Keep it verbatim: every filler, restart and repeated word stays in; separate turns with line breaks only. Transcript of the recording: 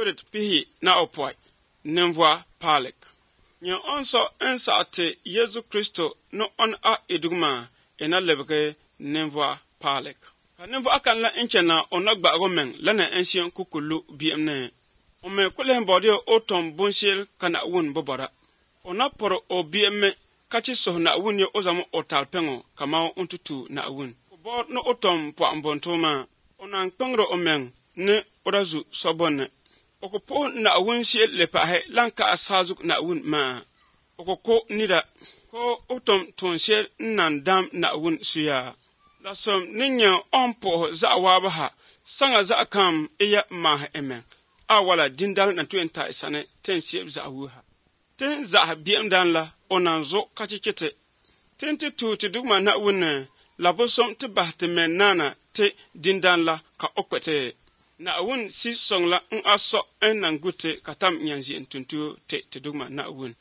spirit pihi na opoi nemvoa palek nye onso ensa te Yesu Kristo no on a edugma ena lebke nemvoa palek nemvoa kan la enchena onagba gomen lana ensien kukulu biemne ome kulen bodio otom bonshel kana won bobara ona poro obiemme kachi so na wun yo ozamo otalpengo kama untutu na wun bo no otom po ambontoma ona nkpengro omen ne orazu sobonne okopo na wun shel lepa he lanka asazuk na wun ma okoko nida ko otom tonshel nan dam na wun suya la som ninya onpo za wabaha sanga za kam iya ma emen awala dindal na twenta isane tensieb za wuha ten za biem dan la onanzo kachikete tenti tu ti dugma na wunne labosom te bahte menana te dindan la ka okpete na wun si song la un aso en nangute katam nyanzi entuntu te te dugma na wun